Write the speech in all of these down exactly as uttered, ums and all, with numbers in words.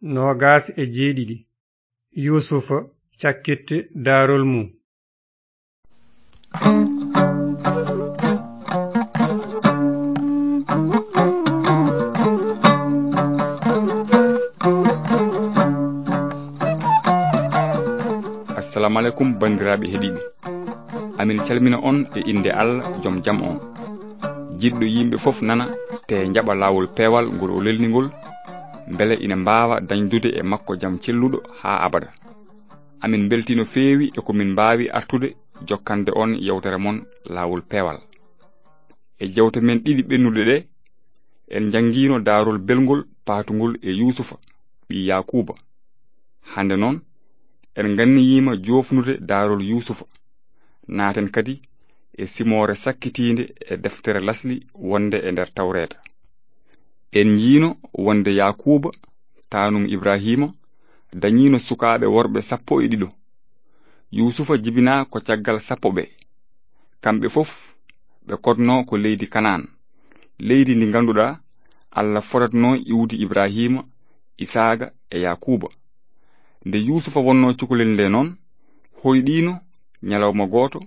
noogas e jeeɗiɗi. Yuusufa cakkit daarol mum. Assalamu alaikum, banndiraaɓe heɗiiɓe. Amin calmina on e innde Allah, jom jam on. Jiɗɗo yimɓe fof nana, te jaɓa laawol peewal ngol o lelni ngol, mbele ina mbaawa dañdude e makko jam celluɗo haa abada. Amin mbeltii no feewi e ko min mbaawi artude jokkande on yewtere mon laawol peewal. E jewte men ɗiɗi ɓennuɗe ɗe, en njanngiino daarol belngol paatungol e Yuusufa, ɓii Yaakuuba. Hannde noon, en nganniyiima joofnude daarol Yuusufa. Naaten kadi e simoore sakkitiinde e deftere lasli wonde e nder Tawreeta. En njiino wonde Yaakuuba, taanum Ibrahiima, dañiino sukaaɓe worɓe sappo e ɗiɗo. Yuusufa jibinaa ko caggal sappo ɓe. Kamɓe fof ɓe kodnoo ko leydi Kanaan, leydi ndi ngannduɗaa Allah fodatnoo iwdi Ibrahiima, Isaaga e Yaakuuba. Nde Yuusufa wonnoo cukalel nde noon, hoyɗiino ñalawma gooto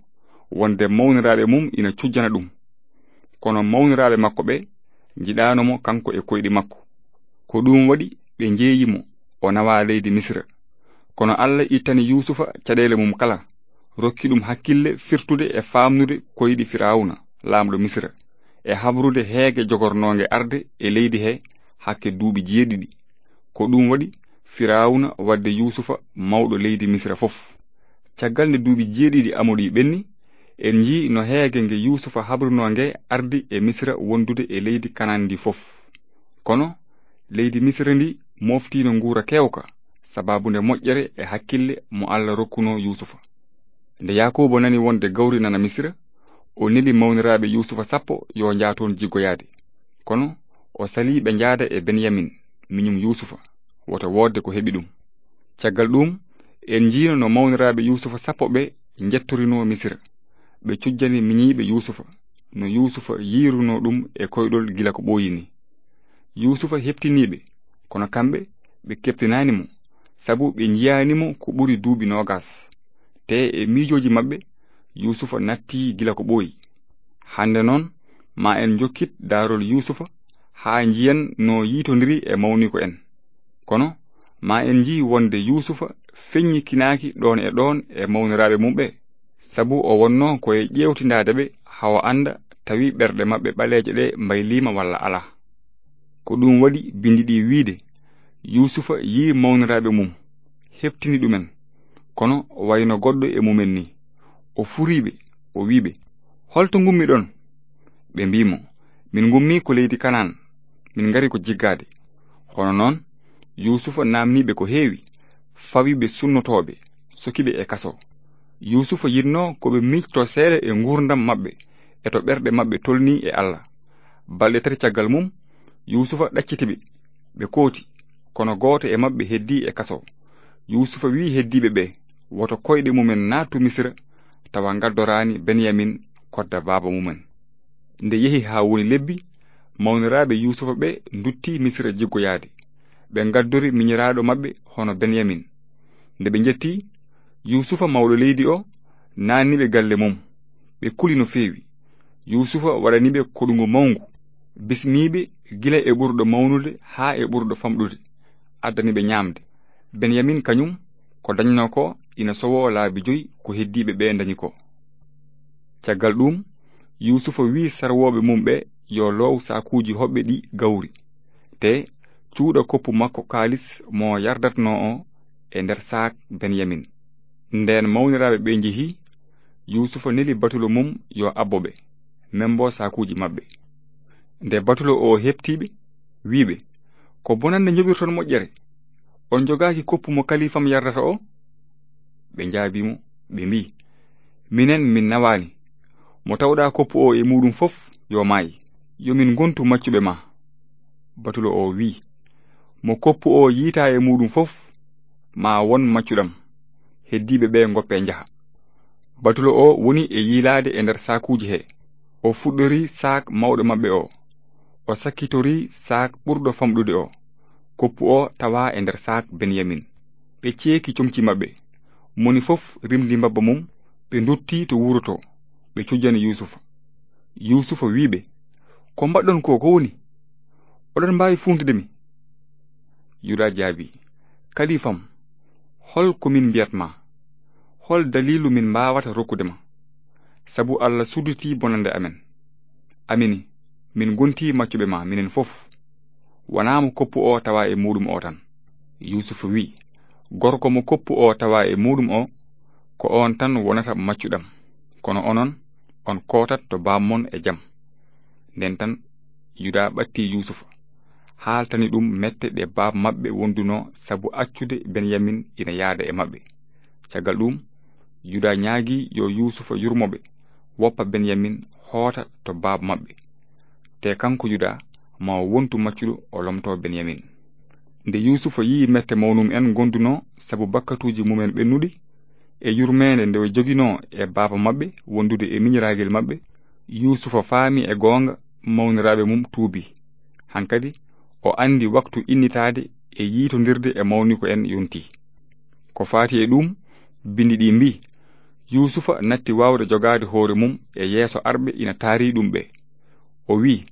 wonde mawniraaɓe mum ina cujjana ɗum. Kono mawniraaɓe makko ɓe njiɗaano mo kanko e koyɗi makko. Ko ɗum waɗi ɓe njeeyi mo, o nawa leydi Misira. Kono Allah ittani Yuusufa caɗeele mum kala, rokki ɗum hakkille firtude e faamnude koyɗi Firawna, laamɗo Misira, e habrude heege jogornoonge arde e leydi he hakke duuɓi jeeɗiɗi. Ko ɗum waɗi Firawna waɗde Yuusufa mawɗo leydi Misira fof. Caggal nde duuɓi jeeɗiɗi amori ɓenni, en njii no heege nge Yuusufa habrunoo nge ardi e Misira wondude e leydi Kanaan ndi fof. Kono leydi Misira ndi moftiino nguura keewka, sababu nde moƴƴere e hakkille mo Allah rokkunoo Yuusufa. Nde Yaakuuba nani wonde gawri nana Misira, o neli mawniraaɓe Yuusufa sappo yo njaa toon jiggoyaade. Kono o salii ɓe njaada e Benyamin, miñum Yuusufa, wota woodde ko heɓi ɗum. Caggal ɗum, en njiino no mawniraaɓe Yuusufa sappo ɓe njettorinoo Misira. Ɓe cujjani miñiiɓe Yuusufa, no Yuusufa yiirunoo ɗum e koyɗol gila ko ɓooyi ni. Yuusufa heɓtiniiɓe, kono kamɓe ɓe keɓtinaani mo, sabu ɓe njiyaani mo ko ɓuri duuɓi noogas. Te e miijooji maɓɓe, Yuusufa nattii gila ko ɓooyi. Hannde noon, ma en njokkit daarol Yuusufa haa njiyen no yiitondiri e mawniiko en. Kono ma en njii wonde Yuusufa feññikinaaki ɗoon e ɗoon e mawniraaɓe mum ɓe, sabu o wonnoo ko e ƴeewtindaade ɓe haa o annda tawi ɓerɗe maɓɓe ɓaleeje ɗe mbayliima walla alaa. Ko ɗum waɗi binndi ɗi wiyde, Yuusufa yii mawniraaɓe mum, heɓtini ɗumen, kono wayno goɗɗo e mumen ni. O furii ɓe, o wii ɓe, "Holto ngummiɗon?" Ɓe mbii mo, "Min ngummi ko leydi Kanaan, min ngari ko jiggaade." Hono noon, Yuusufa naamnii ɓe ko heewi, fawi ɓe sunnotooɓe, soki ɓe e kaso. Yuusufa yiɗnoo ko ɓe miijtoo seeɗa e nguurndam maɓɓe e to ɓerɗe maɓɓe tolnii e Allah. Balɗe tati caggal mum, Yuusufa ɗacciti ɓe, ɓe kooti, kono gooto e maɓɓe heddii e kaso. Yuusufa wii heddiiɓe ɓe, "Woto koyɗe mumen naattu Misira, tawa ngaddoraani Benyamin kodda baaba mumen." Nde yehi haa woni lebbi, mawniraaɓe Yuusufa ɓe nduttii Misira jiggoyaade. Ɓe ngaddori miñiraaɗo maɓɓe hono Benyamin. Nde ɓe njetti, Yuusufa mawɗo leydi o naanni ɓe galle mum. Ɓe kuli no feewi. Yuusufa waɗani ɓe koɗungu mawngu, bismii ɓe gila e ɓurɗo mawnude haa e ɓurɗo famɗude, addani ɓe ñaamde. Benyamin kañum, ko dañnoo ko ina sowoo laabi joyi ko heddiiɓe ɓe ndañi ko. Caggal ɗum, Yuusufa wii sarwooɓe mum ɓe yo loow saakuuji hoɓɓe ɗi gawri, te cuuɗa koppu makko kaalis mo yardatnoo o e nder saak Benyamin. Ndeen mawniraaɓe ɓe njehi, Yuusufa neli batulo mum yo abbo ɓe, membo saakuuji maɓɓe. Nde batulo o heɓtii ɓe, wii ɓe, "Ko bonannde njoɓirton moƴƴere? On njogaaki koppu mo kaliifam yardata o?" Ɓe njaabii mo, ɓe mbii, "Minen min nawaani. Mo tawɗaa koppu o e muuɗum fof, yo maay. Yo min ngontu maccuɓe ma." Batulo o wii, "Mo koppu o yiitaa e muuɗum fof, ma won maccuɗam. Heddiiɓe ɓe ngoppe njaha." Batulo o woni e yiilaade e nder saakuuji he. O fuɗɗorii saak mawɗo maɓɓe o. O sakkitorii saak ɓurɗo famɗude o. Koppu o tawa e nder saak Benyamin. Ɓe ceeki comci maɓɓe. Moni fof rimdi mbabba mum, ɓe ndotti to wuro to, ɓe cujjani Yuusufa. Yuusufa wi'i ɓe, "Ko mbaɗɗon ko, ko woni? Oɗon mbaawi fuuntude mi?" Yuda jaabi, "Kalifam, hol ko min mbiyat ma? Hol daliilu min mbaawata rokkude ma? Sabu Allah sudditi bonande amen. Amini, min ngonti maccuɓe ma minen fof. Wonaa mo koppu o tawa e muuɗum o tan." Yuusufa wi'i, "Gorko mo koppu o tawa e muuɗum o, ko oon tan wonata maccuɗam. Kono onon, on kootat to baam mon e jam." Nden tan Yuda ɓatti Yuusufa, haaltani ɗum mette ɗe baaba maɓɓe wondunoo sabu accude Benyamin ina yaada e maɓɓe. Caggal ɗum, Yuda ñaagi yo Yuusufa yurmo ɓe, woppa Benyamin, hoota to baaba maɓɓe. Te kanko Yuda, ma o wontu maccuɗo, o lomtoo Benyamin. Nde Yuusufa yi'i mette mawnum en ngondunoo sabu bakkatuuji mumen ɓennuɗi, e yurmeende nde o joginoo e baaba maɓɓe wondude e miñiraagel maɓɓe, Yuusufa faami e goonga mawniraaɓe mum tuubi. Hankadi o anndi waktu innitaade e yiitondirde e mawniiko en yontii. Ko faati e ɗum, binndi ɗi mbii, Yuusufa natti waawde jogaade hoore mum e yeeso arɓe ina taarii ɗum ɓe. O wi'i,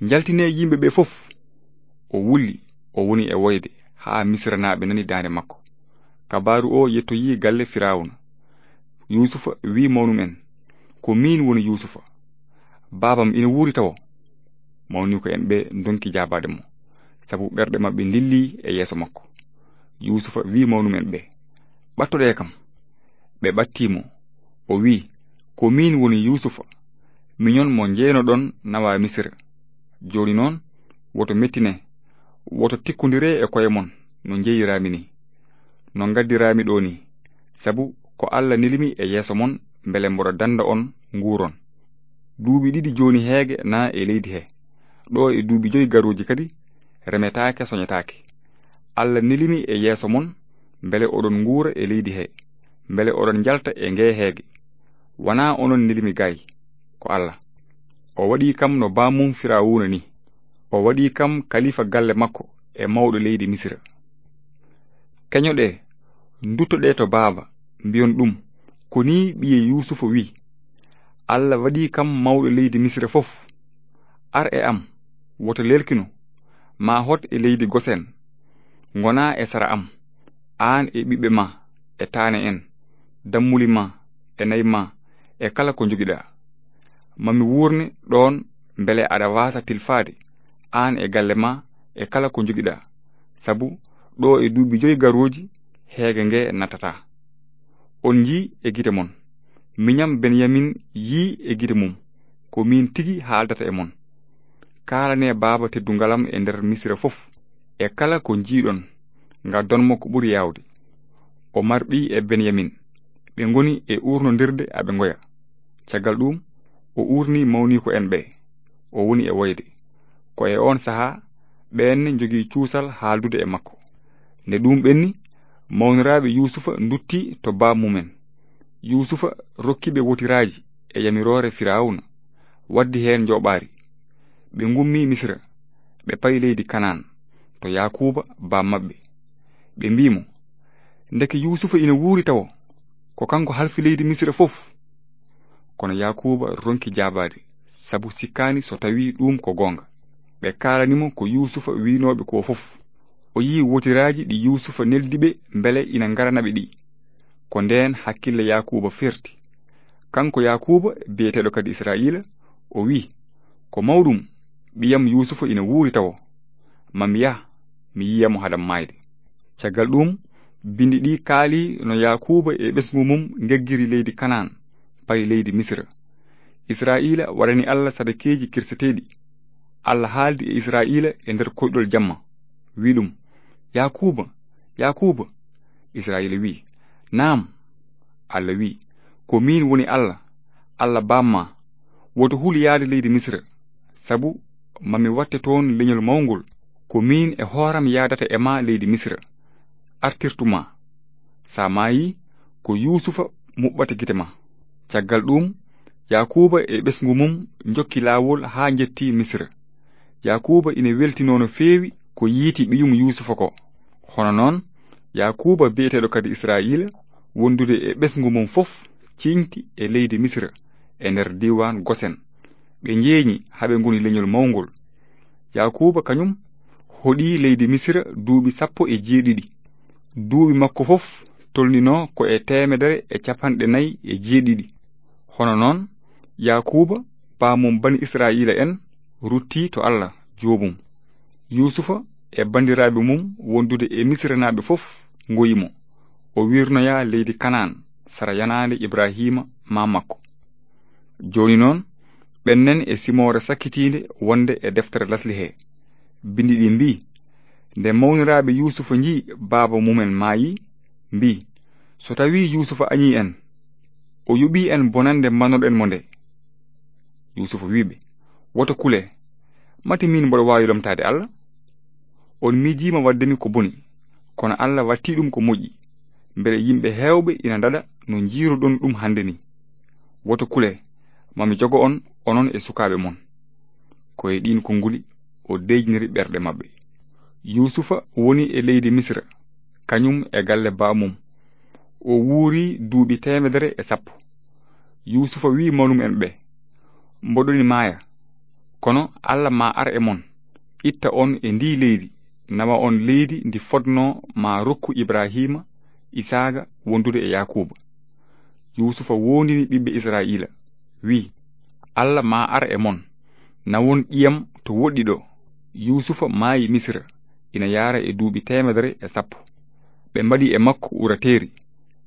"Njaltinee yimɓe ɓe fof." O wulli, o woni e woyde haa Misiranaaɓe nani daande makko. Kabaaru o yettoyii galle Firawna. Yuusufa wi'i mawnum en, "Ko miin woni Yuusufa. Baabam ina wuuri tawo." Mawniiko en ɓe ndonki jaabaade mo, sabu ɓerɗe maɓɓe ndillii e yeeso makko. Yuusufa wi'i mawnum en ɓe, "Ɓattoɗee kam." Ɓe ɓattii mo. O wi'i, "Ko miin woni Yuusufa, miñon mo njeynoɗon nawa Misira. Jooni noon, woto mettine, woto tikkondire e koye mon no njeyiraami ni, no ngaddiraami ɗo ni, sabu ko Alla neli mi e yeeso mon mbele mboɗo dannda on nguuron. Duuɓi ɗiɗi jooni heege na e leydi he. Ɗo e duuɓi joyi garooji kadi remetaake, soñetaake. Alla neli mi e yeeso mon mbele oɗon nguura e leydi he, mbele oɗon njalta e ngee heege. Wonaa onon neli mi gaay, ko Alla. O waɗi kam no baamum Firawuna ni. O waɗi kam kalifa galle makko e mawɗo leydi Misira. Keñoɗee, nduttoɗee to baaba, mbiyon ɗum, ko nii ɓiye Yuusufa wi'i, Alla waɗi kam mawɗo leydi Misira fof. Ar e am, woto leelkino, ma hot e leydi Gosen, ngona e sara am, aan e ɓiɓɓe ma, e taane en, dammuli ma, e nayi ma, e kala ko njogiɗaa. Ma mi wuurne ɗoon mbele aɗa waasa tilfaade, aan e galle ma, e kala ko njogiɗaa, sabu ɗo e duuɓi joyi garooji heege nge nattataa. On njii e gite mon. Miñam Benyamin yii e gite mum. Ko miin tigi haaldata e mon. Kaalanee baaba teddungal am e nder Misira fof, e kala ko njiiɗon, ngaddon mo ko ɓuri yaawde. O marɓi e Benyamin. Ɓe ngoni e uurnondirde aɓe ngoya. Caggal ɗum, o uurni mawniiko en ɓe. O woni e woyde. Ko e oon sahaa, ɓeen ne njogii cuusal haaldude e makko. Nde ɗum ɓenni, mawniraaɓe Yuusufa ndutti to baab mumen. Yuusufa rokki ɓe wotiraaji e yamiroore Firawna, waddi heen njooɓaari. Ɓe ngummi Misira, ɓe payi leydi Kanaan, to Yaakuuba baab maɓɓe. Ɓe mbii mo, "Ndeke Yuusufa ina wuuri tawo, ko kanko halfi leydi Misira fof." Kono Yaakuuba ronki jaabaade, sabu sikkaani so tawii ɗum ko goonga. Ɓe kaalani mo ko Yuusufa wiinooɓe ko fof. O yii wotiraaji ɗi Yuusufa neldi ɓe mbele ina ngarana ɓe ɗi. Ko ndeen hakkille Yaakuuba ferti. Kanko Yaakuuba, biyeteeɗo kadi Israa'iila, o wii, "Ko mawɗum, ɓiyam Yuusufa ina wuuri tawo. Ma mi yah, mi yiya mo hada maayde." Caggal ɗum, bindi ɗi kaali no Yaakuuba e ɓesngu mum ngeggiri leydi Kanaan, payi leydi Misira. Israa'iila waɗani Alla sadakeeji kirseteeɗi. Alla haaldi e Israa'iila e nder koyɗol jamma, wii ɗum, "Yaakuuba, Yaakuuba!" Israa'iila wii, "Naam." Alla wii, "Ko miin woni Alla, Alla baam ma. Woto hul yaade leydi Misira, sabu ma mi watte toon leñol mawngol. Ko miin e hooram yaadata e ma leydi Misira, artirtu ma. Sa maayi, ko Yuusufa muɓɓata gite ma." Caggal ɗum, Yaakuuba e ɓesngu mum njokki laawol haa njetti Misira. Yaakuuba ina weltinoo no feewi ko yiiti ɓiyum Yuusufa ko. Hono noon, Yaakuuba biyeteeɗo kadi Israa'iila, wondude e ɓesngu mum fof, ciiñti e leydi Misira, e nder diiwaan Gosen. Ɓe njeeñi haa ɓe ngoni leñol mawngol. Yaakuuba kañum hoɗi leydi Misira duuɓi sappo e jeeɗiɗi. Duuɓi makko fof tolninoo ko e teemedere e capanɗe nayi e jeeɗiɗi. Hono noon, Yaakuuba, baamum bani Israa'iila en, ruttii to Allah, joomum. Yuusufa e banndiraaɓe mum wondude e Misiranaaɓe fof ngoyi mo. O wirnoyaa leydi Kanaan, sara yanaande Ibrahiima, maam makko. Jooni noon, ɓennen e simoore sakkitiinde wonde e deftere lasli he. Binndi ɗi mbii, nde mawniraaɓe Yuusufa njii baaba mumen maayi, mbii, "So tawii Yuusufa añii en, o yoɓii en bonannde mbanoɗen mo nde." Yuusufa wii ɓe, "Woto kule, mati miin mboɗo waawi lomtaade Allah? On miijiima waɗde mi ko boni, kono Allah wattii ɗum ko moƴƴi, mbele yimɓe heewɓe ina ndaɗa no njiiruɗon ɗum hannde ni. Woto kule, ma mi jogo on, onon e sukaaɓe mon." Ko e ɗiin konnguli o deeƴniri ɓerɗe maɓɓe. Yuusufa woni e leydi Misira, kañum e galle baamum. O wuuri duuɓi teemedere e sappo. Yuusufa wii mawnumen ɓe, "Mboɗoni maaya, kono Allah ma ar e mon, itta on e ndii leydi, nawa on leydi ndi fotnoo ma rokku Ibrahiima, Isaaga wondude e Yaakuuba." Yuusufa woondini ɓiɓɓe Israa'iila, wii, "Allah ma ar e mon, nawon ƴiyam to woɗɗi ɗo." Yuusufa maayi Misira, ina yaara e duuɓi teemedere e sappo. Ɓe mbaɗi e makko urateeri,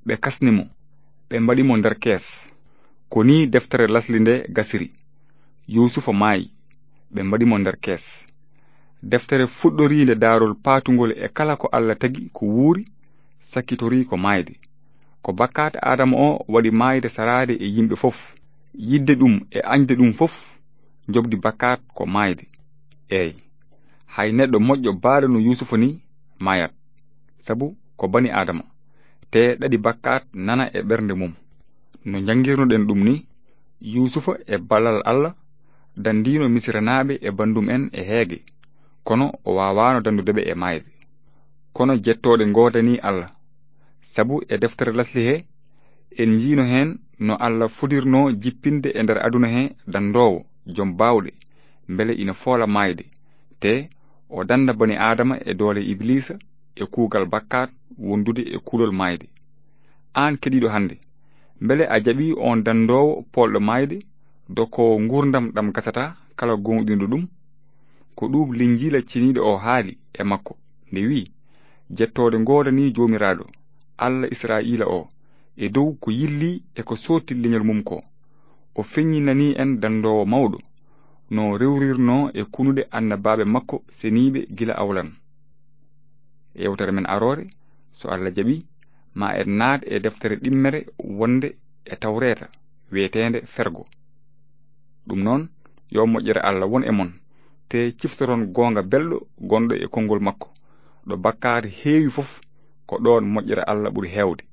ɓe kasni mo, ɓe mbaɗi mo nder kees. Ko nii deftere lasli nde gasiri. Yuusufa maayi, ɓe mbaɗi mo nder kees. Deftere fuɗɗoriinde daarol paatungol e kala ko Allah tagi ko wuuri, sakkitorii ko maayde. Ko bakkaat Aadama o waɗi maayde saraade e yimɓe fof. Yiɗde ɗum e añde ɗum fof, njoɓdi bakkaat ko maayde. Eey, hay neɗɗo moƴƴo baaɗo no Yuusufa ni maayat, sabu ko bani Aadama, te ɗaɗi bakkaat nana e ɓernde mum. No njanngirnoɗen ɗum ni, Yuusufa e ballal Allah danndiino Misiranaaɓe e banndum en e heege, kono o waawaano danndude ɓe e maayde. Kono jettooɗe ngoodanii Allah, sabu e deftere lasli he, en njiino heen no Allah fuɗirnoo jippinde e nder aduna he danndoowo, jom baawɗe, mbele ina foola maayde, te o dannda bani Aadama e doole Ibiliisa e kuugal bakkaat wondude e kulol maayde. Aan keɗiiɗo hannde, mbele a jaɓii oon danndoowo poolɗo maayde, do ko nguurndam ɗam gasata kala gooŋɗinɗo ɗum? Ko ɗum Linjiila ceniiɗo o haali e makko, nde wi'i, "Jettooɗe ngoodanii Joomiraaɗo, Allah Israa'iila o, e dow ko yilli e ko sootti leñol mum ko. O feññinanii en danndoowo mawɗo, no rewrirnoo e kunuɗe annabaaɓe makko seniiɓe gila awlan." Yewtere men aroore, so Allah jaɓii, ma en naat e deftere ɗimmere wonde e Tawreeta, wiyeteende Fergo. Ɗum noon, yo moƴƴere Allah won e mon, te ciftoron goonga belɗo gonɗo e konngol makko. Ɗo bakkaat heewi fof, ko ɗoon moƴƴere Allah ɓuri heewde.